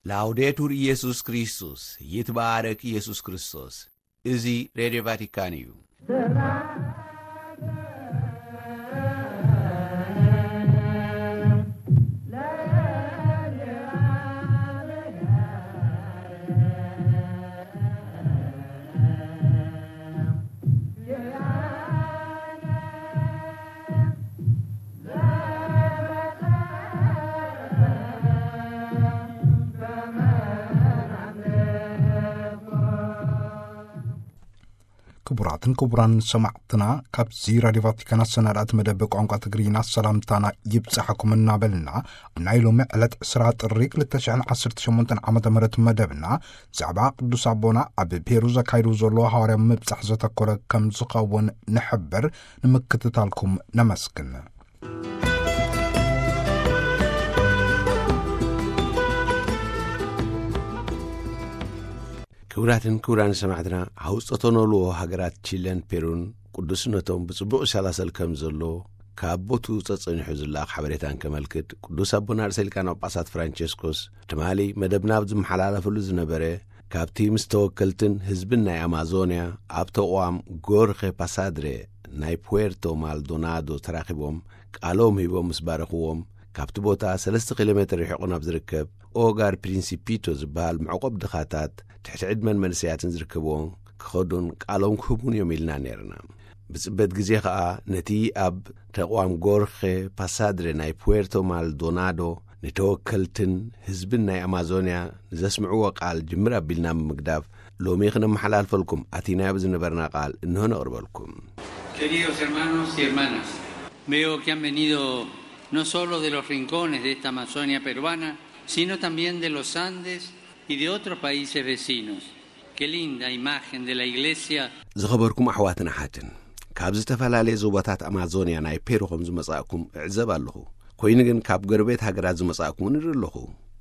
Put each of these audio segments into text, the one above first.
ላውዴቱር ኢየሱስ ክርስቶስ፣ ይትባረክ ኢየሱስ ክርስቶስ። እዚ ሬድዮ ቫቲካን እዩ። ክቡራትን ክቡራን ሰማዕትና፣ ካብዚ ራድዮ ቫቲካን ኣሰናዳእቲ መደብ ቋንቋ ትግርኛ ሰላምታና ይብጻሕኩም እናበልና፣ ኣብ ናይ ሎሚ ዕለት ዕስራ ጥሪ ክልተ ሽሕን ዓሰርተ ሸሞንተን ዓመተ ምህረት መደብና፣ ብዛዕባ ቅዱስ ኣቦና ኣብ ፔሩ ዘካይዱ ዘሎ ሃዋርያ ምብጻሕ ዘተኮረ ከም ዝኸውን ንሕብር። ንምክትታልኩም ነመስግን። ክቡራትን ክቡራን ሰማዕትና፣ ሃውፀተኖልዎ ሃገራት ቺለን ፔሩን ቅዱስነቶም ብጽቡቕ ይሰላሰል ከም ዘሎ ካብ ቦቱ ጸጸኒሑ ዝለኣኽ ሓበሬታን ከመልክት፣ ቅዱስ ኣቦና ርእሰ ሊቃነ ጳጳሳት ፍራንቸስኮስ ትማሊ መደብና ኣብ ዝመሓላለፈሉ ዝነበረ፣ ካብቲ ምስ ተወከልትን ህዝብን ናይ ኣማዞንያ ኣብ ተቋም ጎርኸ ፓሳድሬ ናይ ፑዌርቶ ማልዶናዶ ተራኺቦም ቃሎም ሂቦም ምስ ባረኽዎም፣ ካብቲ ቦታ ሰለስተ ኪሎ ሜትር ርሒቑ ናብ ዝርከብ ኦጋር ፕሪንሲፒቶ ዝበሃል መዕቆብ ድኻታት ትሕቲ ዕድመን መንእሰያትን ዝርከብዎም ክኸዱን ቃሎም ክህቡን እዮም ኢልና ነይርና። ብጽበት ግዜ ኸኣ ነቲ ኣብ ተቋም ጎርኸ ፓሳድሬ ናይ ፑዌርቶ ማልዶናዶ ንተወከልትን ህዝብን ናይ ኣማዞንያ ንዘስምዕዎ ቃል ጅምር ኣቢልና ብምግዳፍ፣ ሎሚ ክነመሓላልፈልኩም ኣቲናዮ ብዝነበርና ቃል እንሆ ነቕርበልኩም። Queridos hermanos y hermanas, veo que han venido no solo de los rincones de esta Amazonia peruana, sino también de los Andes y de otros países vecinos. Qué linda imagen de la iglesia. ዝኸበርኩም ኣሕዋትን ኣሓትን፣ ካብ ዝተፈላለየ ዞባታት ኣማዞንያ ናይ ፔሩ ከም ዝመጻእኩም እዕዘብ ኣለኹ። ኮይኑ ግን ካብ ጎረቤት ሃገራት ዝመጻእኩም ንርኢ ኣለኹ።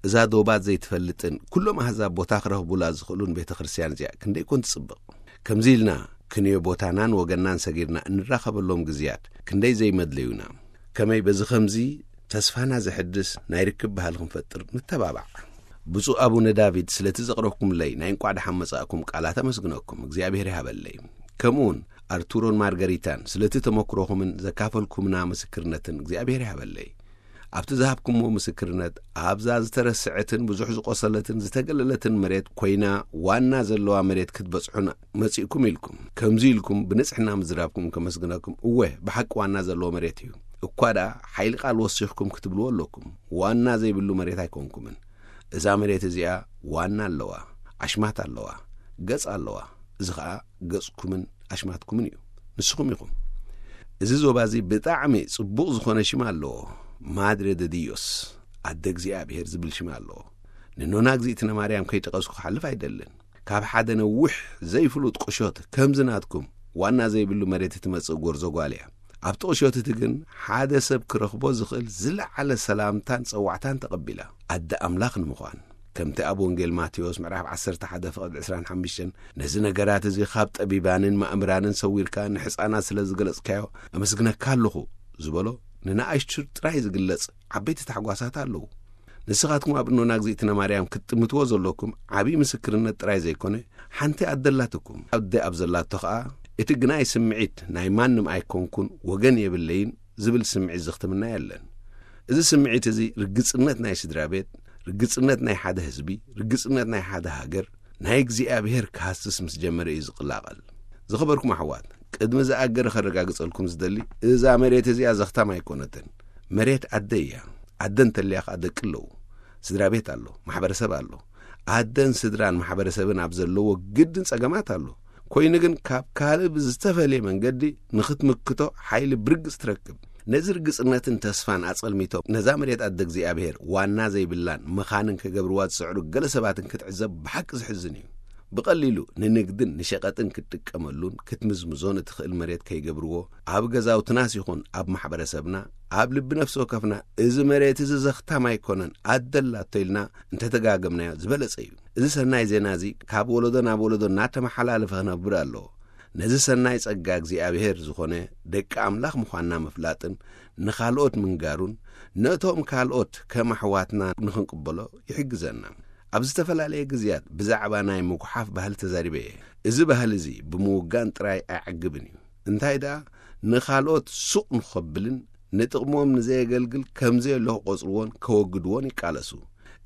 እዛ ዶባት ዘይትፈልጥን ኩሎም ኣህዛብ ቦታ ክረኽቡላ ዝኽእሉን ቤተ ክርስቲያን እዚኣ ክንደይ ኮን ትጽብቕ። ከምዚ ኢልና ክንዮ ቦታናን ወገናን ሰጊርና እንራኸበሎም ግዜያት ክንደይ ዘይመድለዩና። ከመይ በዚ ኸምዚ ተስፋና ዘሕድስ ናይ ርክብ ባህሊ ክንፈጥር ንተባባዕ። ብፁዕ ኣቡነ ዳቪድ ስለቲ ዘቕረብኩምለይ ናይ እንቋዕ ደሓን መጻእኩም ቃላት ኣመስግነኩም፣ እግዚኣብሔር ይሃበለይ። ከምኡውን ኣርቱሮን ማርገሪታን ስለቲ ተመክሮኹምን ዘካፈልኩምና ምስክርነትን እግዚኣብሔር ይሃበለይ። ኣብቲ ዝሃብኩምዎ ምስክርነት ኣብዛ ዝተረስዐትን ብዙሕ ዝቆሰለትን ዝተገለለትን መሬት ኮይና ዋና ዘለዋ መሬት ክትበጽሑን መጺእኩም ኢልኩም። ከምዚ ኢልኩም ብንጽሕና ምዝራብኩም ከመስግነኩም። እወ፣ ብሓቂ ዋና ዘለዎ መሬት እዩ። እኳ ደኣ ሓይሊ ቃል ወሲኽኩም ክትብልዎ ኣለኩም። ዋና ዘይብሉ መሬት ኣይኮንኩምን። እዛ መሬት እዚኣ ዋና ኣለዋ፣ ኣሽማት ኣለዋ፣ ገጽ ኣለዋ። እዚ ኸኣ ገጽኩምን ኣሽማትኩምን እዩ። ንስኹም ኢኹም። እዚ ዞባ እዚ ብጣዕሚ ጽቡቕ ዝኾነ ሽም ኣለዎ። ማድሬ ደ ዲዮስ፣ ኣደ እግዚኣብሔር ዝብል ሽም ኣለዎ። ንኖና እግዚኣብነ ማርያም ከይጠቐስኩ ክሓልፍ ኣይደልን። ካብ ሓደ ነዊሕ ዘይፍሉጥ ቁሾት ከምዚ ናትኩም ዋና ዘይብሉ መሬት እትመጽእ ጎርዞ ጓል እያ። ኣብቲ ቁሾት እቲ ግን ሓደ ሰብ ክረኽቦ ዝኽእል ዝለዓለ ሰላምታን ጸዋዕታን ተቐቢላ። ኣደ ኣምላኽ ንምዃን፣ ከምቲ ኣብ ወንጌል ማቴዎስ ምዕራፍ ዓሰርተ ሓደ ፍቕዲ ዕስራን ሓሙሽተን፣ "ነዚ ነገራት እዚ ካብ ጠቢባንን ማእምራንን ሰዊርካ ንሕፃናት ስለ ዝገለጽካዮ ኣመስግነካ ኣለኹ" ዝበሎ፣ ንንኣሽቱ ጥራይ ዝግለጽ ዓበይቲ ታሕጓሳት ኣለዉ። ንስኻትኩም ኣብ እኖና እግዚኣብነ ማርያም ክትጥምትዎ ዘለኩም ዓብዪ ምስክርነት ጥራይ ዘይኮነ፣ ሓንቲ ኣደ ኣላትኩም። ኣደ ኣብ ዘላቶ ኸኣ፣ እቲ ግናይ ስምዒት ናይ ማንም ኣይኮንኩን፣ ወገን የብለይን ዝብል ስምዒት ዘኽትምና የለን። እዚ ስምዒት እዚ ርግጽነት ናይ ስድራ ቤት፣ ርግጽነት ናይ ሓደ ህዝቢ፣ ርግጽነት ናይ ሓደ ሃገር፣ ናይ እግዚኣብሔር ክሃስስ ምስ ጀመረ እዩ ዝቕላቐል። ዝኸበርኩም ኣሕዋት፣ ቅድሚ ዝኣገረ ከረጋግጸልኩም ዝደሊ፣ እዛ መሬት እዚኣ ዘኽታም ኣይኮነትን። መሬት ኣደ እያ። ኣደ እንተልያ ኸኣ ደቂ ኣለዉ። ስድራ ቤት ኣሎ፣ ማሕበረሰብ ኣሎ። ኣደን ስድራን ማሕበረሰብን ኣብ ዘለዎ ግድን ጸገማት ኣሎ። ኮይኑ ግን ካብ ካልእ ብዝተፈልየ መንገዲ ንኽትምክቶ ሓይሊ ብርግጽ ትረክብ። ነዚ ርግጽነትን ተስፋን ኣጸልሚቶም ነዛ መሬት ኣደ እግዚኣብሔር ዋና ዘይብላን መኻንን ክገብርዋ ዝጽዕሩ ገለ ሰባትን ክትዕዘብ ብሓቂ ዝሕዝን እዩ። ብቐሊሉ ንንግድን ንሸቐጥን ክትጥቀመሉን ክትምዝምዞን እትኽእል መሬት ከይገብርዎ፣ ኣብ ገዛውትናስ ይኹን ኣብ ማሕበረሰብና፣ ኣብ ልቢ ነፍሲ ወከፍና፣ "እዚ መሬት እዚ ዘኽታም ኣይኮነን፣ ኣደ ኣላቶ" ኢልና እንተተጋገምናዮ ዝበለጸ እዩ። እዚ ሰናይ ዜና እዚ ካብ ወለዶ ናብ ወለዶ እናተመሓላለፈ ክነብር ኣለዎ። ነዚ ሰናይ ጸጋ እግዚኣብሔር ዝኾነ ደቂ ኣምላኽ ምዃንና ምፍላጥን ንኻልኦት ምንጋሩን፣ ነቶም ካልኦት ከም ኣሕዋትና ንኽንቅበሎ ይሕግዘና። ኣብ ዝተፈላለየ ግዜያት ብዛዕባ ናይ ምጉሓፍ ባህሊ ተዛሪበ እየ። እዚ ባህሊ እዚ ብምውጋን ጥራይ ኣይዕግብን እዩ። እንታይ ደኣ፣ ንኻልኦት ሱቕ ንኸብልን ንጥቕሞም ንዘየገልግል ከም ዘየሎ ክቖጽርዎን ከወግድዎን ይቃለሱ።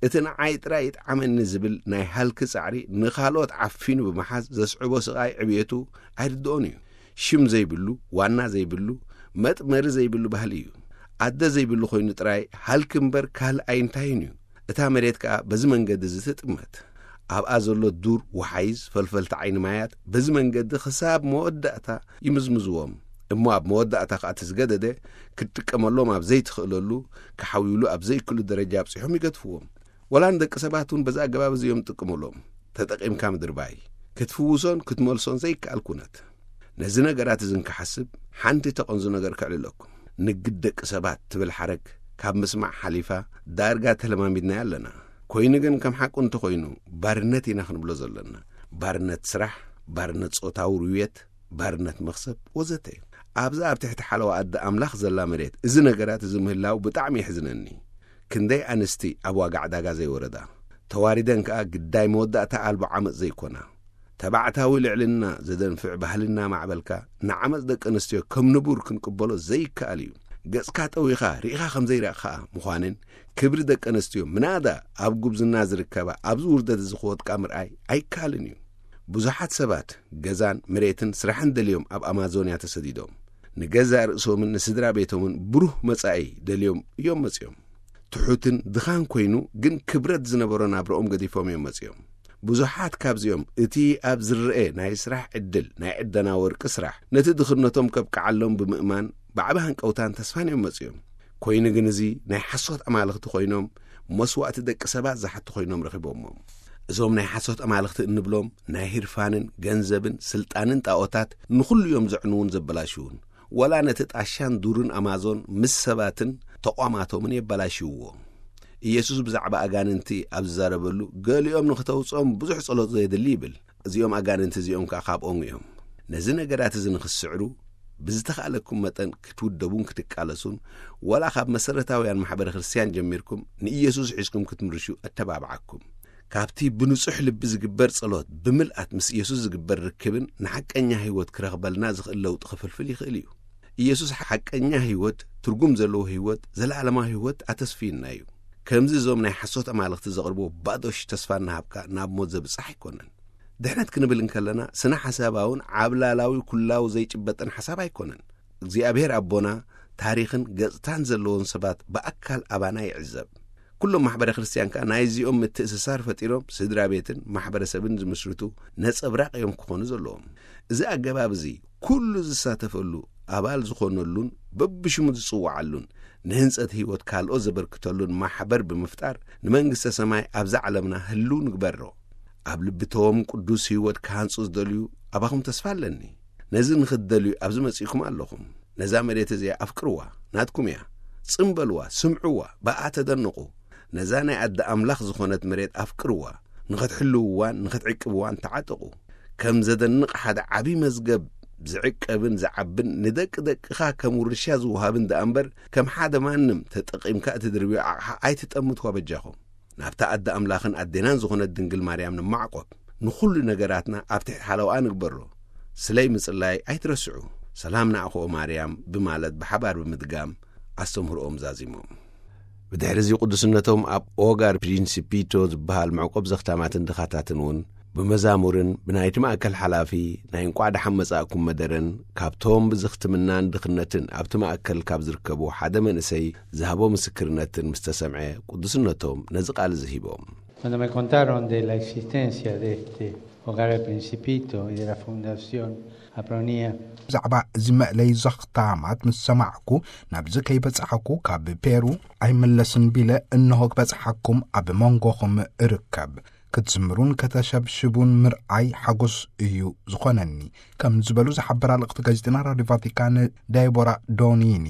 እቲ ንዓይ ጥራይ ይጥዓመኒ ዝብል ናይ ሃልኪ ጻዕሪ ንኻልኦት ዓፊኑ ብምሓዝ ዘስዕቦ ስቓይ ዕብየቱ ኣይርድኦን እዩ። ሽም ዘይብሉ፣ ዋና ዘይብሉ፣ መጥመሪ ዘይብሉ ባህሊ እዩ። ኣደ ዘይብሉ ኮይኑ ጥራይ ሃልኪ እምበር ካልእ ኣይንታይን እዩ። እታ መሬት ከኣ በዚ መንገዲ እዚ ትጥመት። ኣብኣ ዘሎ ዱር፣ ወሓይዝ፣ ፈልፈልቲ ዓይኒ ማያት በዚ መንገዲ ክሳብ መወዳእታ ይምዝምዝዎም። እሞ ኣብ መወዳእታ ከኣ እቲ ዝገደደ ክትጥቀመሎም ኣብ ዘይትኽእለሉ፣ ክሓውዩሉ ኣብ ዘይክእሉ ደረጃ ኣብጺሖም ይገድፍዎም። ወላ ንደቂ ሰባት እውን በዚ ኣገባብ እዚ እዮም ዝጥቀሙሎም። ተጠቒምካ ምድርባይ፣ ክትፍውሶን ክትመልሶን ዘይከኣል ኩነት። ነዚ ነገራት እዚ እንክሓስብ ሓንቲ ተቐንዙ ነገር ከዕልለኩም። ንግድ ደቂ ሰባት ትብል ሓረግ ካብ ምስማዕ ሓሊፋ ዳርጋ ተለማሚድናያ ኣለና። ኮይኑ ግን ከም ሓቁ እንተኾይኑ ባርነት ኢና ክንብሎ ዘለና። ባርነት ስራሕ፣ ባርነት ጾታዊ ርውየት፣ ባርነት መኽሰብ ወዘተ። ኣብዛ ኣብ ትሕቲ ሓለዋ ኣደ ኣምላኽ ዘላ መሬት እዚ ነገራት እዚ ምህላው ብጣዕሚ የሕዝነኒ። ክንደይ ኣንስቲ ኣብ ዋጋ ዕዳጋ ዘይወረዳ፣ ተዋሪደን ከኣ ግዳይ መወዳእታ ኣልቦ ዓመጽ ዘይኮና፣ ተባዕታዊ ልዕልና ዘደንፍዕ ባህልና ማዕበልካ ንዓመጽ ደቂ ኣንስትዮ ከም ንቡር ክንቅበሎ ዘይከኣል እዩ። ገጽካ ጠዊኻ ርኢኻ ከም ዘይረእኻ ምዃንን ክብሪ ደቂ ኣንስትዮ ምናዳ ኣብ ጉብዝና ዝርከባ ኣብዚ ውርደት እዚ ክወድቃ ምርኣይ ኣይከኣልን እዩ። ብዙሓት ሰባት ገዛን መሬትን ስራሕን ደልዮም ኣብ ኣማዞንያ ተሰዲዶም ንገዛእ ርእሶምን ንስድራ ቤቶምን ብሩህ መጻኢ ደልዮም እዮም መጺኦም። ትሑትን ድኻን ኮይኑ ግን ክብረት ዝነበሮ ናብርኦም ገዲፎም እዮም መጺኦም። ብዙሓት ካብዚኦም እቲ ኣብ ዝረአ ናይ ስራሕ ዕድል ናይ ዕደና ወርቂ ስራሕ ነቲ ድኽነቶም ከብቅዓሎም ብምእማን ብዓቢ ሃንቀውታን ተስፋን እዮም መጺኦም። ኮይኑ ግን እዚ ናይ ሓሶት ኣማልኽቲ ኮይኖም መስዋእቲ ደቂ ሰባት ዝሓቱ ኮይኖም ረኺቦሞም። እዞም ናይ ሓሶት ኣማልኽቲ እንብሎም ናይ ህርፋንን ገንዘብን ስልጣንን ጣኦታት ንኹሉ እዮም ዘዕንዉን ዘበላሽዉን። ወላ ነቲ ጣሻን ዱርን ኣማዞን ምስ ሰባትን ተቋማቶምን የበላሽውዎ። ኢየሱስ ብዛዕባ ኣጋንንቲ ኣብ ዝዛረበሉ ገሊኦም ንኽተውፅኦም ብዙሕ ጸሎት ዘየድሊ ይብል። እዚኦም ኣጋንንቲ እዚኦም ከኣ ካብኦም እዮም። ነዚ ነገራት እዚ ንኽትስዕሩ ብዝተኻእለኩም መጠን ክትውደቡን ክትቃለሱን፣ ወላ ካብ መሰረታውያን ማሕበረ ክርስትያን ጀሚርኩም ንኢየሱስ ሒዝኩም ክትምርሹ እተባብዓኩም። ካብቲ ብንጹሕ ልቢ ዝግበር ጸሎት ብምልኣት ምስ ኢየሱስ ዝግበር ርክብን ንሓቀኛ ህይወት ክረኽበልና ዝኽእል ለውጢ ክፍልፍል ይኽእል እዩ። ኢየሱስ ሓቀኛ ህይወት፣ ትርጉም ዘለዎ ህይወት፣ ዘለዓለማዊ ህይወት ኣተስፍዩና እዩ። ከምዚ እዞም ናይ ሓሶት ኣማልኽቲ ዘቕርብዎ ባዶሽ ተስፋ እናሃብካ ናብ ሞት ዘብጽሕ ኣይኮነን። ድሕነት ክንብል እንከለና ስነ ሓሳባውን ዓብላላዊ ኩላዊ ዘይጭበጥን ሓሳብ ኣይኮነን። እግዚኣብሔር ኣቦና ታሪኽን ገጽታን ዘለዎም ሰባት ብኣካል ኣባና ይዕዘብ። ኩሎም ማሕበረ ክርስትያን ከኣ ናይዚኦም ምትእስሳር ፈጢሮም ስድራ ቤትን ማሕበረሰብን ዝምስርቱ ነጸብራቕ እዮም ክኾኑ ዘለዎም። እዚ ኣገባብ እዚ ኩሉ ዝሳተፈሉ ኣባል ዝኾነሉን በብሽሙ ዝጽውዓሉን ንህንጸት ህይወት ካልኦት ዘበርክተሉን ማሕበር ብምፍጣር ንመንግስተ ሰማይ ኣብዛ ዓለምና ህልው ንግበሮ። ኣብ ልብቶም ቅዱስ ህይወት ክሃንጹ ዝደልዩ ኣባኹም ተስፋ ኣለኒ። ነዚ ንኽትደልዩ ኣብዚ መጺእኩም ኣለኹም። ነዛ መሬት እዚኣ ኣፍቅርዋ፣ ናትኩም እያ። ጽም በልዋ፣ ስምዕዋ፣ ብኣ ተደንቑ። ነዛ ናይ ኣደ ኣምላኽ ዝኾነት መሬት ኣፍቅርዋ። ንኽትሕልውዋን ንኽትዕቅብዋን ተዓጠቑ። ከም ዘደንቕ ሓደ ዓቢ መዝገብ ዝዕቀብን ዝዓብን ንደቂ ደቅኻ ከም ውርሻ ዝወሃብን ደኣ እምበር ከም ሓደ ማንም ተጠቒምካ እትድርብዮ ኣቕሓ ኣይትጠምትዋ በጃኹም። ናብታ ኣደ ኣምላኽን ኣዴናን ዝኾነት ድንግል ማርያም ንማዕቆብ። ንኹሉ ነገራትና ኣብ ትሕቲ ሓለውኣ ንግበሮ። ስለይ ምጽላይ ኣይትረስዑ። ሰላም ንኣኹ ማርያም ብማለት ብሓባር ብምድጋም ኣስተምህሮኦም ዛዚሞም። ብድሕሪ እዚ ቅዱስነቶም ኣብ ኦጋር ፕሪንሲፒቶ ዝበሃል መዕቆብ ዘኽታማትን ድኻታትን እውን ብመዛሙርን ብናይቲ ማእከል ሓላፊ ናይ እንቋዕ ደሓን መጻእኩም መደረን ካብቶም ብዝኽትምናን ድኽነትን ኣብቲ ማእከል ካብ ዝርከቡ ሓደ መንእሰይ ዝሃቦ ምስክርነትን ምስ ተሰምዐ ቅዱስነቶም ነዚ ቃል እዚ ሂቦም። Cuando me contaron de la existencia de este hogar del Principito y de la Fundación Apronia ብዛዕባ እዚ መእለይ ዘኽታማት ምስ ሰማዕኩ ናብዚ ከይበጻሕኩ ካብ ፔሩ ኣይምለስን ቢለ እንሆ ክበጽሓኩም ኣብ መንጎኹም እርከብ። ክትዝምሩን ከተሸብሽቡን ምርኣይ ሓጎስ እዩ ዝኾነኒ ከም ዝበሉ ዝሓበራ ልእኽቲ ጋዜጠና ራዲዮ ቫቲካን ዳይቦራ ዶኒኒ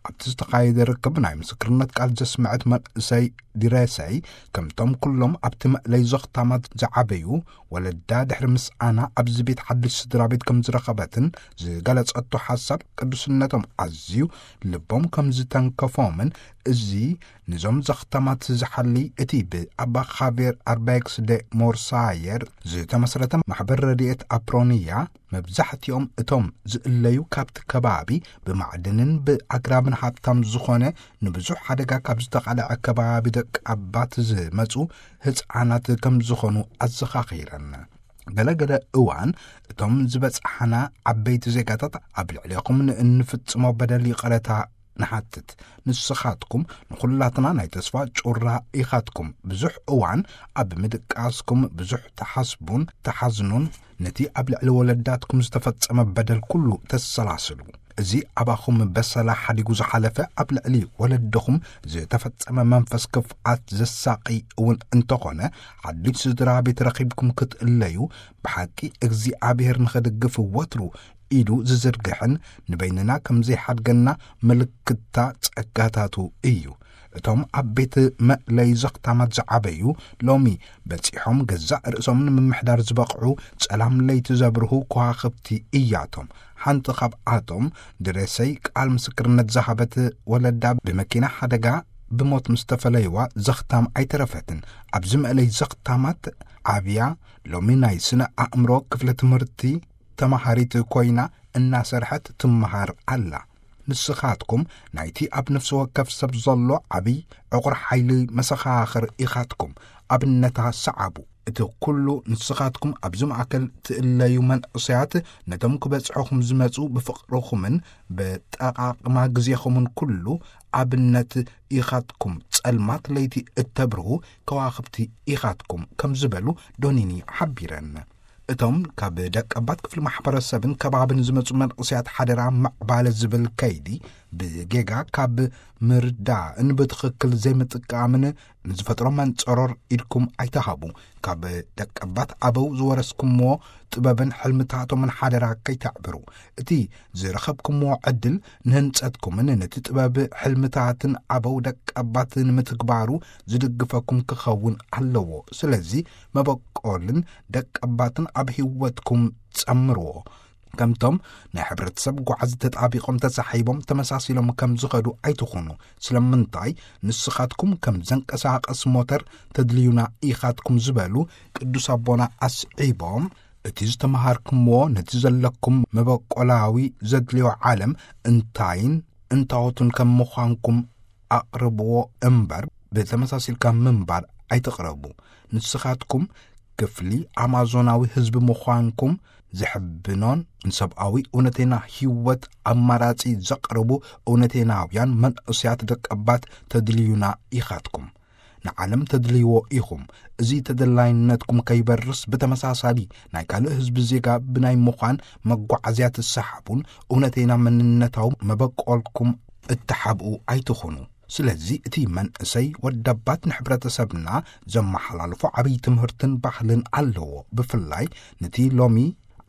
ኣብቲ ዝተኻየደ ርክብ ናይ ምስክርነት ቃል ዘስምዐት መንእሰይ ዲረሰይ ከምቶም ኩሎም ኣብቲ መእለይ ዘኽታማት ዝዓበዩ ወለዳ ድሕሪ ምስኣና ኣብዚ ቤት ሓድሽ ስድራ ቤት ከም ዝረኸበትን ዝገለጸቶ ሓሳብ ቅዱስነቶም ኣዝዩ ልቦም ከም ዝተንከፎምን እዚ ንዞም ዘኽታማት ዝሓሊ እቲ ብኣባ ኻቬር ኣርባይክስ ደ ሞርሳየር ዝተመስረተ ማሕበር ረድኤት ኣፕሮንያ መብዛሕትኦም እቶም ዝእለዩ ካብቲ ከባቢ ብማዕድንን ብኣግራብን ሃብታም ዝኾነ ንብዙሕ ሓደጋ ካብ ዝተቓልዐ ከባቢ ደቂ ኣባት ዝመጹ ህፃናት ከም ዝኾኑ ኣዘኻኺረን። ገለገለ እዋን እቶም ዝበጽሓና ዓበይቲ ዜጋታት ኣብ ልዕሌኹም ንእንፍጽሞ በደል ይቕረታ ንሓትት። ንስኻትኩም ንኹላትና ናይ ተስፋ ጩራ ኢኻትኩም። ብዙሕ እዋን ኣብ ምድቃስኩም ብዙሕ ተሓስቡን ተሓዝኑን፣ ነቲ ኣብ ልዕሊ ወለዳትኩም ዝተፈጸመ በደል ኩሉ ተሰላስሉ። እዚ ኣባኹም በሰላ ሓዲጉ ዝሓለፈ ኣብ ልዕሊ ወለድኹም ዝተፈጸመ መንፈስ ክፍኣት ዘሳቒ እውን እንተኾነ፣ ሓድሽ ስድራ ቤት ረኺብኩም ክትእለዩ ብሓቂ እግዚኣብሔር ንኽድግፍ ወትሩ ኢዱ ዝዝርግሕን ንበይንና ከም ዘይሓድገና ምልክታ ጸጋታቱ እዩ። እቶም ኣብ ቤት መእለይ ዘኽታማት ዝዓበዩ ሎሚ በጺሖም ገዛእ ርእሶም ንምምሕዳር ዝበቕዑ ጸላም ለይቲ ዘብርሁ ከዋኽብቲ እያቶም። ሓንቲ ካብኣቶም ድረሰይ ቃል ምስክርነት ዝሃበት ወለዳ ብመኪና ሓደጋ ብሞት ምስ ተፈለይዋ ዘኽታም ኣይተረፈትን። ኣብዚ መእለይ ዘኽታማት ዓብያ ሎሚ ናይ ስነ ኣእምሮ ክፍለ ትምህርቲ ተማሃሪት ኮይና እናሰርሐት ትመሃር ኣላ። ንስኻትኩም ናይቲ ኣብ ነፍሲ ወከፍ ሰብ ዘሎ ዓብይ ዕቑር ሓይሊ መሰኻኽር ኢኻትኩም። ኣብነታ ሰዓቡ። እቲ ኩሉ ንስኻትኩም ኣብዚ ማእከል ትእለዩ መንእሰያት ነቶም ክበጽሑኹም ዝመጹ ብፍቕርኹምን ብጠቓቕማ ግዜኹምን ኩሉ ኣብነት ኢኻትኩም። ጸልማት ለይቲ እተብርሁ ከዋኽብቲ ኢኻትኩም ከም ዝበሉ ዶኒኒ ሓቢረን። እቶም ካብ ደቀባት ክፍሊ ማሕበረሰብን ከባብን ዝመጹ መንእሰያት ሓደራ ምዕባለ ዝብል ከይዲ ብጌጋ ካብ ምርዳእን ብትኽክል ዘይምጥቃምን ንዝፈጥሮ መንጸሮር ኢድኩም ኣይተሃቡ። ካብ ደቀባት ኣበው ዝወረስኩምዎ ጥበብን ሕልምታቶምን ሓደራ ከይተዕብሩ። እቲ ዝረኸብኩምዎ ዕድል ንህንጸትኩምን ነቲ ጥበብ ሕልምታትን ኣበው ደቀባት ንምትግባሩ ዝድግፈኩም ክኸውን ኣለዎ። ስለዚ መበቆልን ደቀባትን ኣብ ህይወትኩም ጸምርዎ። ከምቶም ናይ ሕብረተሰብ ጓዕዚ ተጣቢቖም ተሳሒቦም ተመሳሲሎም ከም ዝኸዱ ኣይትኹኑ። ስለምንታይ ንስኻትኩም ከም ዘንቀሳቐስ ሞተር ተድልዩና ኢኻትኩም ዝበሉ ቅዱስ ኣቦና ኣስዒቦም፣ እቲ ዝተምሃርኩምዎ ነቲ ዘለኩም መበቆላዊ ዘድልዮ ዓለም እንታይን እንታወቱን ከም ምዃንኩም ኣቕርብዎ እምበር ብተመሳሲልካ ምንባር ኣይትቕረቡ። ንስኻትኩም ክፍሊ ኣማዞናዊ ህዝቢ ምዃንኩም ዝሕብኖን ንሰብኣዊ እውነተና ህይወት ኣማራጺ ዘቕርቡ እውነተናውያን መንእሰያት ደቀባት ተድልዩና ኢኻትኩም። ንዓለም ተድልይዎ ኢኹም። እዚ ተደላይነትኩም ከይበርስ ብተመሳሳሊ ናይ ካልእ ህዝቢ ዜጋ ብናይ ምዃን መጓዓዝያ ትሰሓቡን እውነተና መንነታዊ መበቆልኩም እተሓብኡ ኣይትኹኑ። ስለዚ እቲ መንእሰይ ወደባት ንሕብረተሰብና ዘመሓላልፎ ዓብዪ ትምህርትን ባህልን ኣለዎ። ብፍላይ ነቲ ሎሚ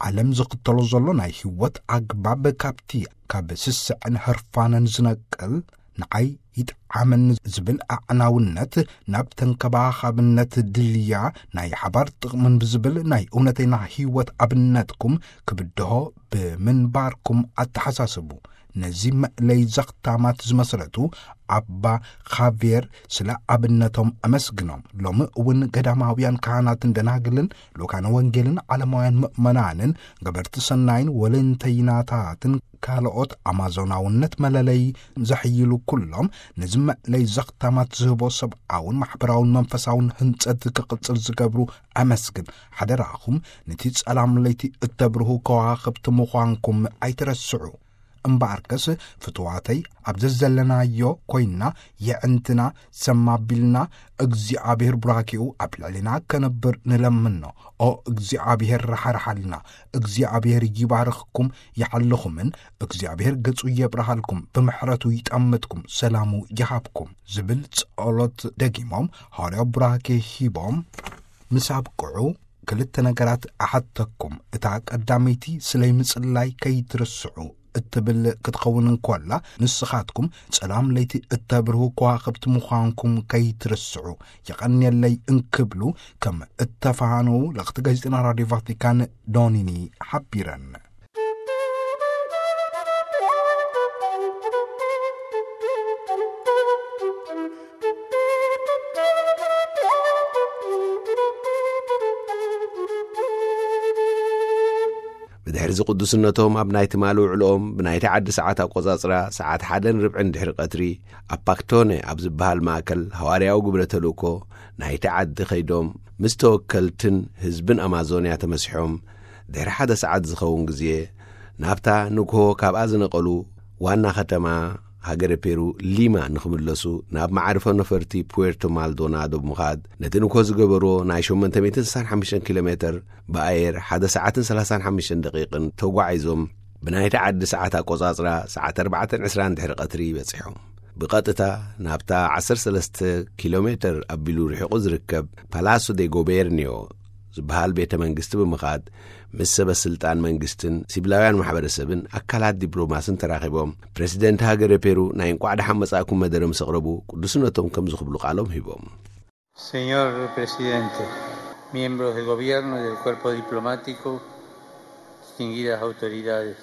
ዓለም ዝኽተሎ ዘሎ ናይ ህይወት ኣግባብ ካብቲ ካብ ስስዕን ህርፋንን ዝነቅል ንዓይ ይጥዓመኒ ዝብል ኣዕናውነት ናብ ተንከባኻብነት ድልያ ናይ ሓባር ጥቕምን ብዝብል ናይ እውነተና ህይወት ኣብነትኩም ክብድሆ ብምንባርኩም ኣተሓሳስቡ። ነዚ መእለይ ዘኽታማት ዝመስረቱ ኣባ ኻቬር ስለ ኣብነቶም ኣመስግኖም። ሎሚ እውን ገዳማውያን ካህናትን ደናግልን ልኡካነ ወንጌልን ዓለማውያን ምእመናንን ገበርቲ ሰናይን ወለንተይናታትን ካልኦት ኣማዞናውነት መለለይ ዘሕይሉ ኩሎም ነዚ መእለይ ዘኽታማት ዝህቦ ሰብኣውን ማሕበራውን መንፈሳውን ህንጸት ክቕጽል ዝገብሩ ኣመስግን። ሓደራኹም ነቲ ጸላም ለይቲ እተብርሁ ከዋኽብቲ ምዃንኩም ኣይትረስዑ። እምበኣርከስ ፍትዋተይ ኣብ ዘዘለናዮ ኮይንና የዕንትና ሰም ኣቢልና እግዚኣብሔር ቡራኬኡ ኣብ ልዕሊና ከነብር ንለምኖ። ኦ እግዚኣብሔር ራሓርሓልና። እግዚኣብሔር ይባርኽኩም ይሓልኹምን እግዚኣብሔር ገጹ የብርሃልኩም ብምሕረቱ ይጠምትኩም ሰላሙ ይሃብኩም ዝብል ጸሎት ደጊሞም ሃዋርያዊ ቡራኬ ሂቦም ምስ ኣብቅዑ ክልተ ነገራት እሓተኩም። እታ ቀዳመይቲ ስለይ ምጽላይ ከይትርስዑ። እትብል ክትኸውን እንኮላ፣ ንስኻትኩም ጸላም ለይቲ እተብርሁ ከዋኽብቲ ምዃንኩም ከይትርስዑ፣ የቐንየለይ እንክብሉ ከም እተፋሃነዉ ለኽቲ ጋዜጠና ራድዮ ቫቲካን ዶኒኒ ሓቢረን። ብድሕሪዚ ቅዱስነቶም ኣብ ናይ ትማሊ ውዕልኦም ብናይቲ ዓዲ ሰዓት ኣቆጻጽራ ሰዓት ሓደን ርብዕን ድሕሪ ቀትሪ ኣብ ፓክቶነ ኣብ ዝበሃል ማእከል ሃዋርያዊ ግብረ ተልእኮ ናይቲ ዓዲ ከይዶም ምስ ተወከልትን ህዝብን ኣማዞንያ ተመሲሖም ድሕሪ ሓደ ሰዓት ዝኸውን ግዜ ናብታ ንግሆ ካብኣ ዝነቐሉ ዋና ከተማ ሃገረ ፔሩ ሊማ ንኽምለሱ ናብ መዓርፎ ነፈርቲ ፑዌርቶ ማልዶናዶ ብምኻድ ነቲ ንግሆ ዝገበርዎ ናይ ሸሞንተ ሚእትን ስሳን ሓሙሽተን ኪሎ ሜተር ብኣየር ሓደ ሰዓትን ሰላሳን ሓሙሽተን ደቂቕን ተጓዒዞም ብናይቲ ዓዲ ሰዓት ኣቆጻጽራ ሰዓት ኣርባዕተን ዕስራን ድሕሪ ቀትሪ በጺሖም። ብቐጥታ ናብታ ዓሰርተ ሰለስተ ኪሎ ሜተር ኣቢሉ ርሒቑ ዝርከብ ፓላሶ ዴ ጎቤርኒዮ ዝበሃል ቤተ መንግስቲ ብምኻድ ምስ ሰበ ስልጣን መንግስትን ሲቪላውያን ማሕበረሰብን ኣካላት ዲፕሎማስን ተራኺቦም ፕሬዚደንት ሃገረ ፔሩ ናይ እንቋዕ ደሓን መጻእኩም መደረ ምስ ኣቕረቡ ቅዱስነቶም ከም ዝኽብሉ ቃሎም ሂቦም። Señor presidente, miembros del gobierno y del cuerpo diplomático, distinguidas autoridades,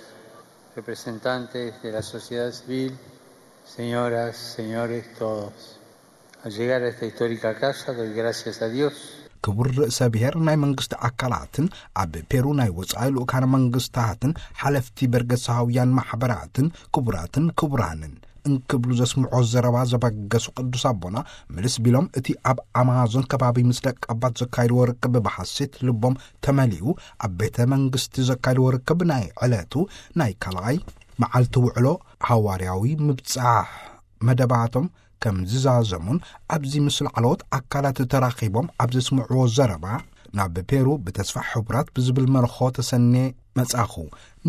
representantes de la sociedad civil, señoras, señores, todos. Al llegar a esta histórica casa doy gracias a Dios. ክቡር ርእሰ ብሔር፣ ናይ መንግስቲ ኣካላትን ኣብ ፔሩ ናይ ወጻኢ ልኡካነ መንግስታትን ሓለፍቲ በርገሳውያን ማሕበራትን ክቡራትን ክቡራንን እንክብሉ ዘስምዖ ዘረባ ዘበገሱ ቅዱስ ኣቦና፣ ምልስ ቢሎም እቲ ኣብ ኣማዞን ከባቢ ምስ ደቂ ኣባት ዘካይድዎ ርክብ ብሓሴት ልቦም ተመሊኡ ኣብ ቤተ መንግስቲ ዘካይድዎ ርክብ ናይ ዕለቱ ናይ ካልኣይ መዓልቲ ውዕሎ ሃዋርያዊ ምብጻሕ መደባቶም ከም ዝዛዘሙን ኣብዚ ምስ ላዕለዎት ኣካላት ተራኺቦም ኣብ ዘስምዕዎ ዘረባ፣ ናብ ፔሩ ብተስፋ ሕቡራት ብዝብል መርኾ ተሰኔ መጻኹ።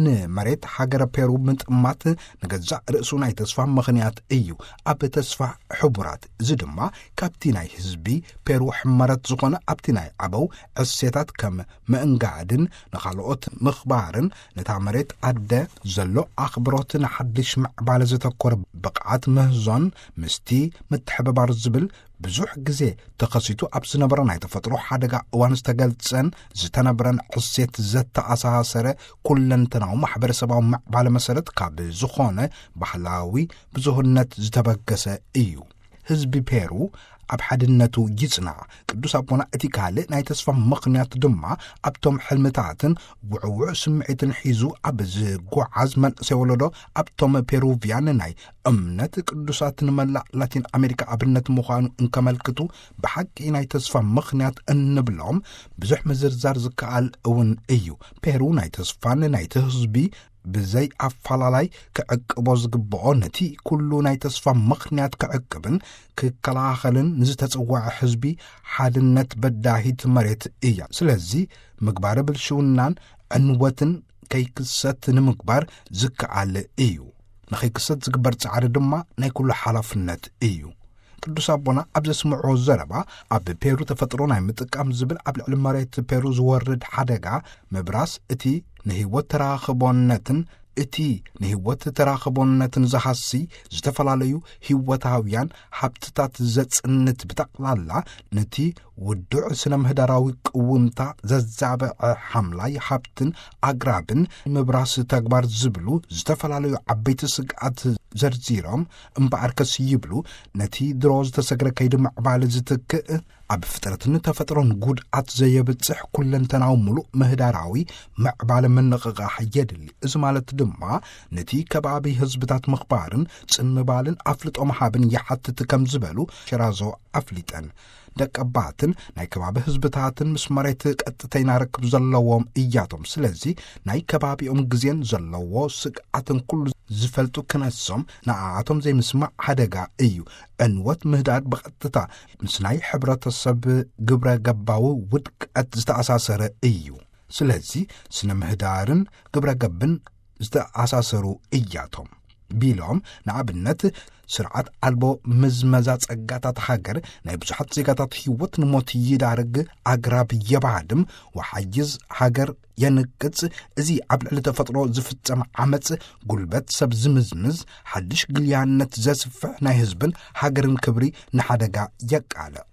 ንመሬት ሃገረ ፔሩ ምጥማት ንገዛእ ርእሱ ናይ ተስፋ ምኽንያት እዩ። ኣብ ተስፋ ሕቡራት፣ እዚ ድማ ካብቲ ናይ ህዝቢ ፔሩ ሕመረት ዝኾነ ኣብቲ ናይ ኣበው ዕሴታት ከም ምእንጋድን ንኻልኦት ምኽባርን ነታ መሬት ኣደ ዘሎ ኣኽብሮት ንሓድሽ ምዕባለ ዘተኮረ ብቕዓት ምህዞን ምስቲ ምትሕብባር ዝብል ብዙሕ ግዜ ተኸሲቱ ኣብ ዝነበረ ናይ ተፈጥሮ ሓደጋ እዋን ዝተገልጸን ዝተነብረን ዕሴት ዘተኣሳሰረ ኩለንተናዊ ማሕበረሰባዊ ምዕባለ መሰረት ካብ ዝኾነ ባህላዊ ብዙህነት ዝተበገሰ እዩ። ህዝቢ ፔሩ ኣብ ሓድነቱ ይጽናዕ። ቅዱስ ኣቦና እቲ ካልእ ናይ ተስፋ ምኽንያት ድማ ኣብቶም ሕልምታትን ውዕውዕ ስምዒትን ሒዙ ኣብ ዝጓዓዝ መንእሰይ ወለዶ፣ ኣብቶም ፔሩቪያን ናይ እምነት ቅዱሳት ንመላእ ላቲን ኣሜሪካ ኣብነት ምዃኑ እንከመልክቱ፣ ብሓቂ ናይ ተስፋ ምኽንያት እንብሎም ብዙሕ ምዝርዛር ዝከኣል እውን እዩ። ፔሩ ናይ ተስፋን ናይቲ ህዝቢ ብዘይ ኣፈላላይ ክዕቅቦ ዝግብኦ፣ ነቲ ኩሉ ናይ ተስፋ ምኽንያት ክዕቅብን ክከላኸልን ንዝተጸውዐ ህዝቢ ሓድነት በዳሂት መሬት እያ። ስለዚ ምግባረ ብልሽውናን ዕንወትን ከይክሰት ንምግባር ዝከኣል እዩ። ንኸይክሰት ዝግበር ጻዕሪ ድማ ናይ ኩሉ ሓላፍነት እዩ። ቅዱስ ኣቦና ኣብ ዘስምዕዎ ዘረባ፣ ኣብ ፔሩ ተፈጥሮ ናይ ምጥቃም ዝብል ኣብ ልዕሊ መሬት ፔሩ ዝወርድ ሓደጋ ምብራስ፣ እቲ ንህይወት ተራኽቦነትን እቲ ንህይወት ተራኽቦነትን ዝሃሲ ዝተፈላለዩ ህይወታውያን ሃብትታት ዘጽንት፣ ብጠቕላላ ነቲ ውዱዕ ስነ ምህዳራዊ ቅውምታ ዘዛብዐ ሓምላይ ሃብትን ኣግራብን ምብራስ ተግባር ዝብሉ ዝተፈላለዩ ዓበይቲ ስግኣት ዘርዚሮም፣ እምበኣርከስ ይብሉ፣ ነቲ ድሮ ዝተሰግረ ከይዲ ምዕባለ ዝትክእ፣ ኣብ ፍጥረትን ተፈጥሮን ጉድኣት ዘየብጽሕ ኩለንተናዊ ምሉእ ምህዳራዊ ምዕባለ ምንቕቓሕ የድሊ። እዚ ማለት ድማ ነቲ ከባቢ ህዝብታት ምኽባርን ጽን ምባልን ኣፍልጦ ምሃብን ይሓትት ከም ዝበሉ ሸራዞ ኣፍሊጠን። ደቀባትን ናይ ከባቢ ህዝብታትን ምስ መሬት ቀጥተይና ርክብ ዘለዎም እያቶም። ስለዚ ናይ ከባቢኦም ግዜን ዘለዎ ስግኣትን ኩሉ ዝፈልጡ ክነሶም ንኣኣቶም ዘይምስማዕ ሓደጋ እዩ። ዕንወት ምህዳድ ብቐጥታ ምስ ናይ ሕብረተሰብ ግብረ ገባዊ ውድቀት ዝተኣሳሰረ እዩ። ስለዚ ስነ ምህዳርን ግብረ ገብን ዝተኣሳሰሩ እያቶም። ቢሎም፣ ንኣብነት ስርዓት ኣልቦ ምዝመዛ ጸጋታት ሃገር ናይ ብዙሓት ዜጋታት ህይወት ንሞት ይዳርግ፣ ኣግራብ የባድም፣ ወሓይዝ ሃገር የንቅጽ። እዚ ኣብ ልዕሊ ተፈጥሮ ዝፍጸም ዓመጽ፣ ጉልበት ሰብ ዝምዝምዝ፣ ሓድሽ ግልያነት ዘስፍሕ፣ ናይ ህዝብን ሃገርን ክብሪ ንሓደጋ የቃልዕ።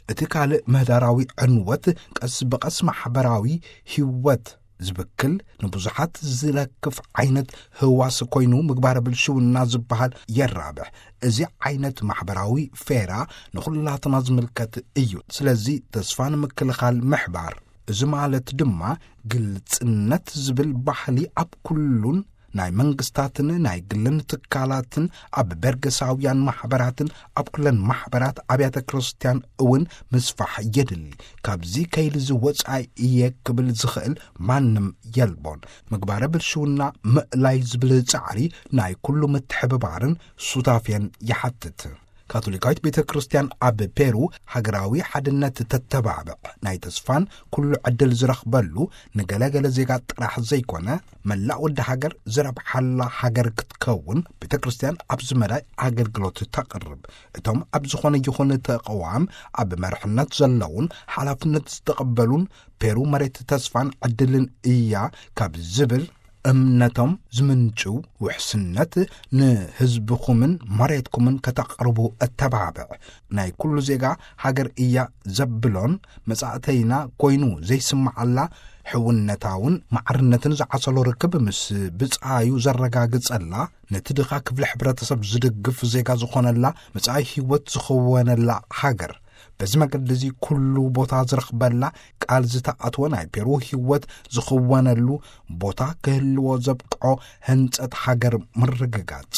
እቲ ካልእ ምህዳራዊ ዕንወት ቀስ ብቐስ ማሕበራዊ ህይወት ዝብክል፣ ንብዙሓት ዝለክፍ ዓይነት ህዋስ ኮይኑ፣ ምግባረ ብልሽውና ዝበሃል የራብሕ። እዚ ዓይነት ማሕበራዊ ፌራ ንኹላትና ዝምልከት እዩ። ስለዚ ተስፋ ንምክልኻል ምሕባር፣ እዚ ማለት ድማ ግልጽነት ዝብል ባህሊ ኣብ ኩሉን ናይ መንግስታትን ናይ ግልን ትካላትን፣ ኣብ በርገሳውያን ማሕበራትን፣ ኣብ ኩለን ማሕበራት፣ ኣብያተ ክርስቲያን እውን ምስፋሕ የድሊ። ካብዚ ከይዲ እዚ ወጻኢ እየ ክብል ዝኽእል ማንም የልቦን። ምግባረ ብልሽውና ምእላይ ዝብል ጻዕሪ ናይ ኩሉ ምትሕብባርን ሱታፌን ይሓትት። ካቶሊካዊት ቤተ ክርስቲያን ኣብ ፔሩ ሃገራዊ ሓድነት ተተባብዕ፣ ናይ ተስፋን ኩሉ ዕድል ዝረኽበሉ፣ ንገለገለ ዜጋ ጥራሕ ዘይኮነ፣ መላእ ወዲ ሃገር ዝረብሓላ ሃገር ክትከውን ቤተ ክርስቲያን ኣብዚ መዳይ ኣገልግሎት ተቕርብ። እቶም ኣብ ዝኾነ ይኹን ተቕዋም ኣብ መርሕነት ዘለውን ሓላፍነት ዝተቐበሉን፣ ፔሩ መሬት ተስፋን ዕድልን እያ ካብ ዝብል እምነቶም ዝምንጭው ውሕስነት፣ ንህዝብኹምን መሬትኩምን ከተቕርቡ እተባብዕ፣ ናይ ኩሉ ዜጋ ሃገር እያ ዘብሎን፣ መጻእተይና ኮይኑ ዘይስምዓላ፣ ሕውነታውን ማዕርነትን ዝዓሰሎ ርክብ ምስ ብጻዩ ዘረጋግጸላ፣ ነቲ ድኻ ክፍሊ ሕብረተሰብ ዝድግፍ ዜጋ ዝኾነላ፣ መጻኢ ህይወት ዝኽወነላ ሃገር፣ በዚ መገዲ እዚ ኩሉ ቦታ ዝረኽበላ፣ ቃል ዝተኣትወ፣ ናይ ፔሩ ህይወት ዝኽወነሉ ቦታ ክህልዎ ዘብቅዖ ህንጸት ሃገር ምርግጋጽ።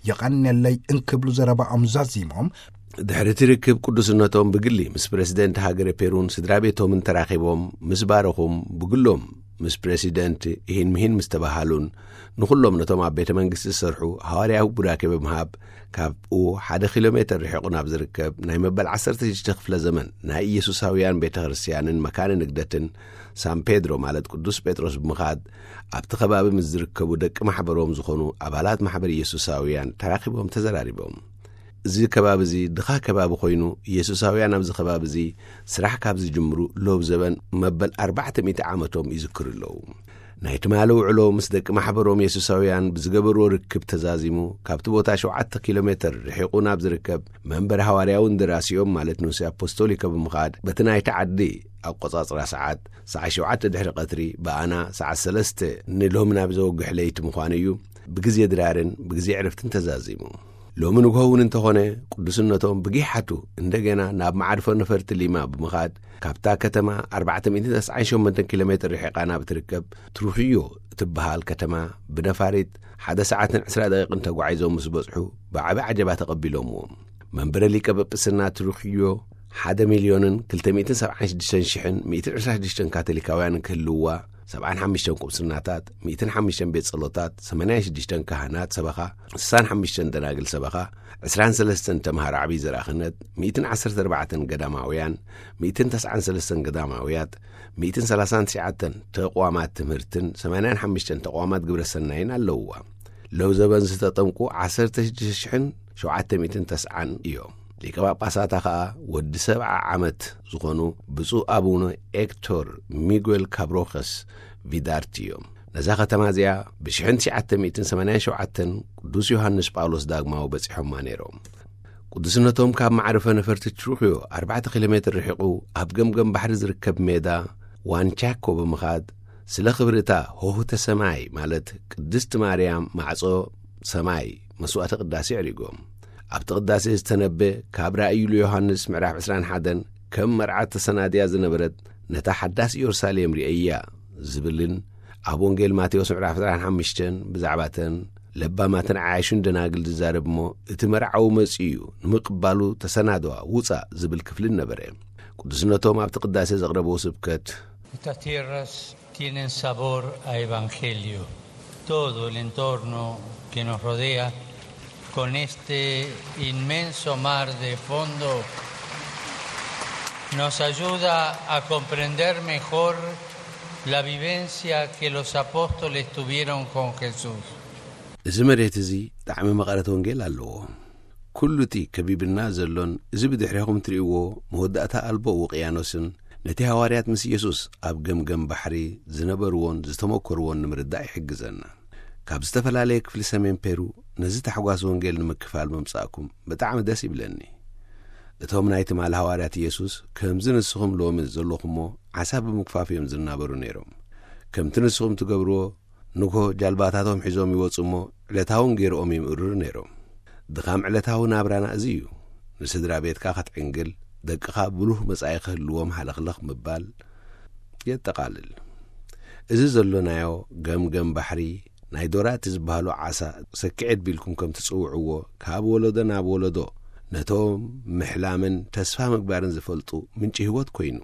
የቐንየለይ እንክብሉ ዘረባኦም ዛዚሞም፣ ድሕሪ እቲ ርክብ ቅዱስነቶም ብግሊ ምስ ፕረሲደንት ሃገረ ፔሩን ስድራ ቤቶምን ተራኺቦም ምስ ባረኹም፣ ብግሎም ምስ ፕረሲደንት ኢሂን ምሂን ምስ ተባሃሉን፣ ንኹሎም ነቶም ኣብ ቤተ መንግስቲ ዝሰርሑ ሃዋርያዊ ቡራኬ ብምሃብ፣ ካብኡ ሓደ ኪሎ ሜተር ርሒቑ ናብ ዝርከብ ናይ መበል ዓሰርተ ሽዱሽተ ክፍለ ዘመን ናይ ኢየሱሳውያን ቤተ ክርስቲያንን መካነ ንግደትን ሳን ፔድሮ፣ ማለት ቅዱስ ጴጥሮስ ብምኻድ፣ ኣብቲ ከባቢ ምስ ዝርከቡ ደቂ ማሕበሮም ዝኾኑ ኣባላት ማሕበር ኢየሱሳውያን ተራኺቦም ተዘራሪቦም። እዚ ከባቢ እዚ ድኻ ከባቢ ኮይኑ፣ ኢየሱሳውያን ኣብዚ ከባቢ እዚ ስራሕ ካብ ዝጅምሩ ሎብ ዘበን መበል ኣርባዕተ ሚእቲ ዓመቶም ይዝክሩ ኣለዉ። ናይ ትማሊ ውዕሎ ምስ ደቂ ማሕበሮም የሱሳውያን ብዝገበርዎ ርክብ ተዛዚሙ፣ ካብቲ ቦታ ሸውዓተ ኪሎ ሜተር ርሒቑ ናብ ዝርከብ መንበሪ ሃዋርያዊ እንደራሲኦም፣ ማለት ንኡስ ኣፖስቶሊከ ብምኻድ፣ በቲ ናይቲ ዓዲ ኣቆጻጽራ ሰዓት፣ ሰዓት ሸውዓተ ድሕሪ ቀትሪ፣ ብኣና ሰዓት ሰለስተ ንሎሚ ናብ ዘወግሕ ለይቲ ምዃኑ እዩ። ብግዜ ድራርን ብግዜ ዕረፍትን ተዛዚሙ። ሎሚ ንግሆ እውን እንተኾነ፣ ቅዱስነቶም ብጊሓቱ እንደገና ናብ መዓርፎ ነፈርቲ ሊማ ብምኻድ፣ ካብታ ከተማ ኣርባዕተ ሚእትን ተስዓን ሸሞንተን ኪሎ ሜትር ርሒቓ ናብ እትርከብ ትሩኽዮ እትበሃል ከተማ ብነፋሪት ሓደ ሰዓትን ዕስራ ደቂቕን ተጓዒዞም ምስ በጽሑ፣ ብዓቢ ዓጀባ ተቐቢሎምዎም። መንበረ ሊቀ ጵጵስና ትሩኽዮ ሓደ ሚልዮንን ክልተ ሚእትን ሰብዓን ሽዱሽተን ሽሕን ሚእትን ዕስራን ሽዱሽተን ካቶሊካውያን ክህልውዋ፣ ሰብዓን ሓሙሽተን ቁምስናታት፣ ሚእትን ሓሙሽተን ቤት ጸሎታት፣ ሰማንያን ሽዱሽተን ካህናት ሰበኻ፣ ስሳን ሓሙሽተን ደናግል ሰበኻ፣ ዕስራን ሰለስተን ተምሃሮ ዓብዪ ዘርኣ ክህነት፣ ሚእትን ዓሰርተ ኣርባዕተን ገዳማውያን፣ ሚእትን ተስዓን ሰለስተን ገዳማውያት፣ ሚእትን ሰላሳን ትሽዓተን ተቋማት ትምህርትን ሰማንያን ሓሙሽተን ተቋማት ግብረ ሰናይን ኣለውዋ። ሎብ ዘበን ዝተጠምቁ ዓሰርተ ሽዱሽተ ሽሕን ሸውዓተ ሚእትን ተስዓን እዮም። ሊቀ ጳጳሳታ ኸኣ ወዲ ሰብዓ ዓመት ዝኾኑ ብፁዕ ኣቡነ ኤክቶር ሚጉኤል ካብሮኸስ ቪዳርቲ እዮም። ነዛ ከተማ እዚኣ ብሽሕን ትሽዓተ ሚእትን ሰማንያን ሸውዓተን ቅዱስ ዮሃንስ ጳውሎስ ዳግማዊ በጺሖማ ነይሮም። ቅዱስነቶም ካብ መዕርፈ ነፈርቲ ትሩኽዮ ኣርባዕተ ኪሎ ሜትር ርሒቑ ኣብ ገምገም ባሕሪ ዝርከብ ሜዳ ዋንቻኮ ብምኻድ፣ ስለ ክብሪ እታ ሆህተ ሰማይ፣ ማለት ቅድስቲ ማርያም ማዕጾ ሰማይ፣ መስዋዕተ ቅዳሴ ኣዕሪጎም። ኣብቲ ቅዳሴ ዝተነበ ካብ ራእዩ ዮሃንስ ምዕራፍ ዕስራን ሓደን ከም መርዓት ተሰናድያ ዝነበረት ነታ ሓዳስ ኢየሩሳሌም ርእያ ዝብልን ኣብ ወንጌል ማቴዎስ ምዕራፍ ዕስራን ሓሙሽተን ብዛዕባተን ለባማትን ዓያሹን ደናግል ዝዛረብ እሞ፣ እቲ መርዓዊ መጺኡ እዩ፣ ንምቕባሉ ተሰናድዋ፣ ውጻእ ዝብል ክፍልን ነበረ። ቅዱስነቶም ኣብቲ ቅዳሴ ዘቕረብዎ ስብከት፣ Estas tierras tienen sabor a evangelio. Todo el entorno que nos rodea, con este inmenso mar de fondo, nos ayuda a comprender mejor la vivencia que los apóstoles tuvieron con Jesús. እዚ መሬት እዚ ጣዕሚ መቐረት ወንጌል ኣለዎ። ኩሉ እቲ ከቢብና ዘሎን እዚ ብድሕሬኹም ትርእይዎ መወዳእታ ኣልቦ ውቅያኖስን ነቲ ሃዋርያት ምስ ኢየሱስ ኣብ ገምገም ባሕሪ ዝነበርዎን ዝተመኮርዎን ንምርዳእ ይሕግዘና። ካብ ዝተፈላለየ ክፍሊ ሰሜን ፔሩ ነዚ ታሕጓስ ወንጌል ንምክፋል ምምጻእኩም ብጣዕሚ ደስ ይብለኒ። እቶም ናይ ትማሊ ሃዋርያት ኢየሱስ ከምዚ ንስኹም ሎሚ ዘለኹሞ ዓሳ ብምግፋፍ እዮም ዝናበሩ ነይሮም። ከምቲ ንስኹም ትገብርዎ ንግሆ ጃልባታቶም ሒዞም ይወጹ እሞ ዕለታውን ገይሮኦም ይምእርሩ ነይሮም። ድኻም ዕለታዊ ናብራና እዚ እዩ። ንስድራ ቤትካ ክትዕንግል፣ ደቅኻ ብሩህ መጻኢ ክህልዎም ሃለኽለኽ ምባል የጠቓልል። እዚ ዘሎናዮ ገምገም ባሕሪ ናይ ዶራቲ ዝበሃሉ ዓሳ ሰኪዔት ቢልኩም ከም ትጽውዕዎ ካብ ወለዶ ናብ ወለዶ ነቶም ምሕላምን ተስፋ ምግባርን ዝፈልጡ ምንጪ ህይወት ኮይኑ።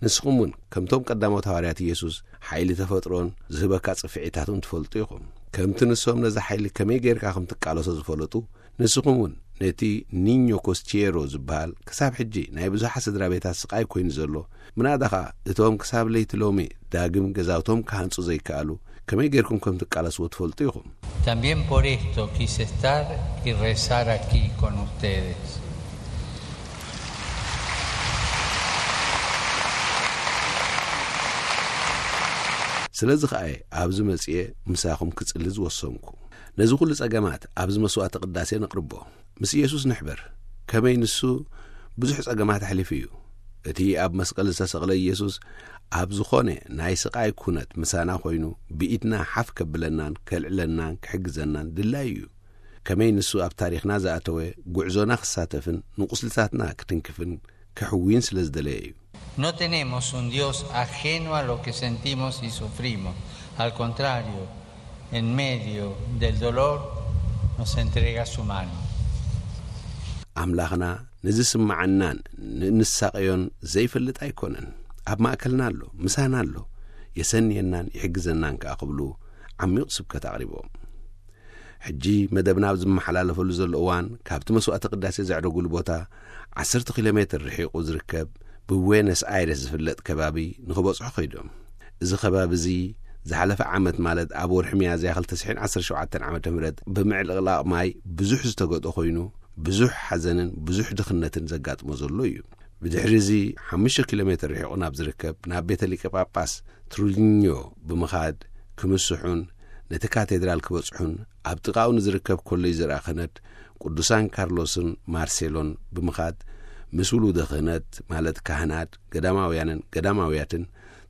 ንስኹም እውን ከምቶም ቀዳሞት ሃዋርያት ኢየሱስ ሓይሊ ተፈጥሮን ዝህበካ ጽፍዒታቱን ትፈልጡ ኢኹም። ከምቲ ንሶም ነዚ ሓይሊ ከመይ ጌርካ ከም ትቃለሶ ዝፈለጡ፣ ንስኹም እውን ነቲ ኒኞ ኮስቲየሮ ዝበሃል ክሳብ ሕጂ ናይ ብዙሓት ስድራ ቤታት ስቓይ ኮይኑ ዘሎ፣ ምናዳ ኸኣ እቶም ክሳብ ለይቲ ሎሚ ዳግም ገዛውቶም ክሃንጹ ዘይከኣሉ ከመይ ጌርኩም ከም ትቃለስዎ ትፈልጡ ኢኹም። También por esto quise estar y rezar aquí con ustedes. ስለዚ ኸኣ እየ ኣብዚ መጺኤ ምሳኹም ክጽሊ ዝወሰንኩ። ነዚ ኩሉ ጸገማት ኣብዚ መስዋዕተ ቅዳሴ ነቕርቦ። ምስ ኢየሱስ ንሕበር። ከመይ ንሱ ብዙሕ ጸገማት ኣሕሊፉ እዩ። እቲ ኣብ መስቀል ዝተሰቕለ ኢየሱስ ኣብ ዝኾነ ናይ ስቓይ ኩነት ምሳና ኮይኑ ብኢድና ሓፍ ከብለናን ከልዕለናን ክሕግዘናን ድላይ እዩ። ከመይ ንሱ ኣብ ታሪኽና ዝኣተወ ጉዕዞና ክሳተፍን ንቁስልታትና ክትንክፍን ክሕውይን ስለ ዝደለየ እዩ። No tenemos un Dios ajeno a lo que sentimos y sufrimos. Al contrario, en medio del dolor nos entrega su mano. ኣምላኽና ንዝስምዓናን ንንሳቐዮን ዘይፈልጥ ኣይኮነን። ኣብ ማእከልና ኣሎ፣ ምሳና ኣሎ። የሰንየናን ይሕግዘናን ከኣ ክብሉ ዓሚቕ ስብከት ኣቕሪቦም። ሕጂ መደብና ኣብ ዝመሓላለፈሉ ዘሎ እዋን ካብቲ መስዋዕተ ቅዳሴ ዘዕረጉሉ ቦታ ዓሰርተ ኪሎ ሜትር ርሒቑ ዝርከብ ብዌነስ ኣይረስ ዝፍለጥ ከባቢ ንኽበጽሑ ከይዶም። እዚ ከባቢ እዚ ዝሓለፈ ዓመት ማለት ኣብ ወርሒ ሚያዝያ ክልተ ሽሕን ዓሰርተ ሸውዓተን ዓመተ ምህረት ብምዕልቕላቕ ማይ ብዙሕ ዝተገጥኦ ኮይኑ ብዙሕ ሓዘንን ብዙሕ ድኽነትን ዘጋጥሞ ዘሎ እዩ። ብድሕሪ እዚ ሓሙሽተ ኪሎ ሜትር ርሒቑ ናብ ዝርከብ ናብ ቤተ ሊቀ ጳጳስ ትሩሊኞ ብምኻድ ክምስሑን ነቲ ካቴድራል ክበጽሑን ኣብ ጥቓኡ ንዝርከብ ኮሌጅ ዘርኣ ክህነት ቅዱሳን ካርሎስን ማርሴሎን ብምኻድ ምስ ውሉደ ክህነት ማለት ካህናት ገዳማውያንን ገዳማውያትን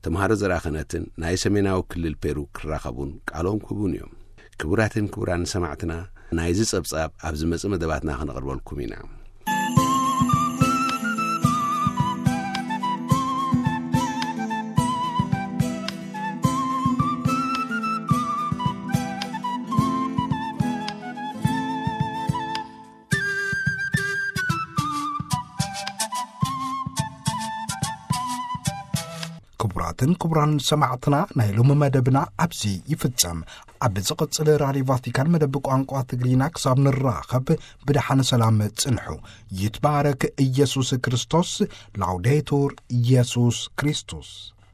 ተምሃሮ ዘርኣ ክህነትን ናይ ሰሜናዊ ክልል ፔሩ ክራኸቡን ቃሎም ክህቡን እዮም። ክቡራትን ክቡራን ሰማዕትና ናይዚ ጸብጻብ ኣብ ዝመጽእ መደባትና ክነቕርበልኩም ኢና። ክቡራትን ክቡራን ሰማዕትና ናይ ሎሚ መደብና ኣብዚ ይፍጸም። ኣብ ዝቕጽል ራድዮ ቫቲካን መደብ ቋንቋ ትግርኛ ክሳብ ንራኸብ ብደሓን ሰላም ጽንሑ። ይትባረክ ኢየሱስ ክርስቶስ። ላውዴቱር ኢየሱስ ክርስቶስ።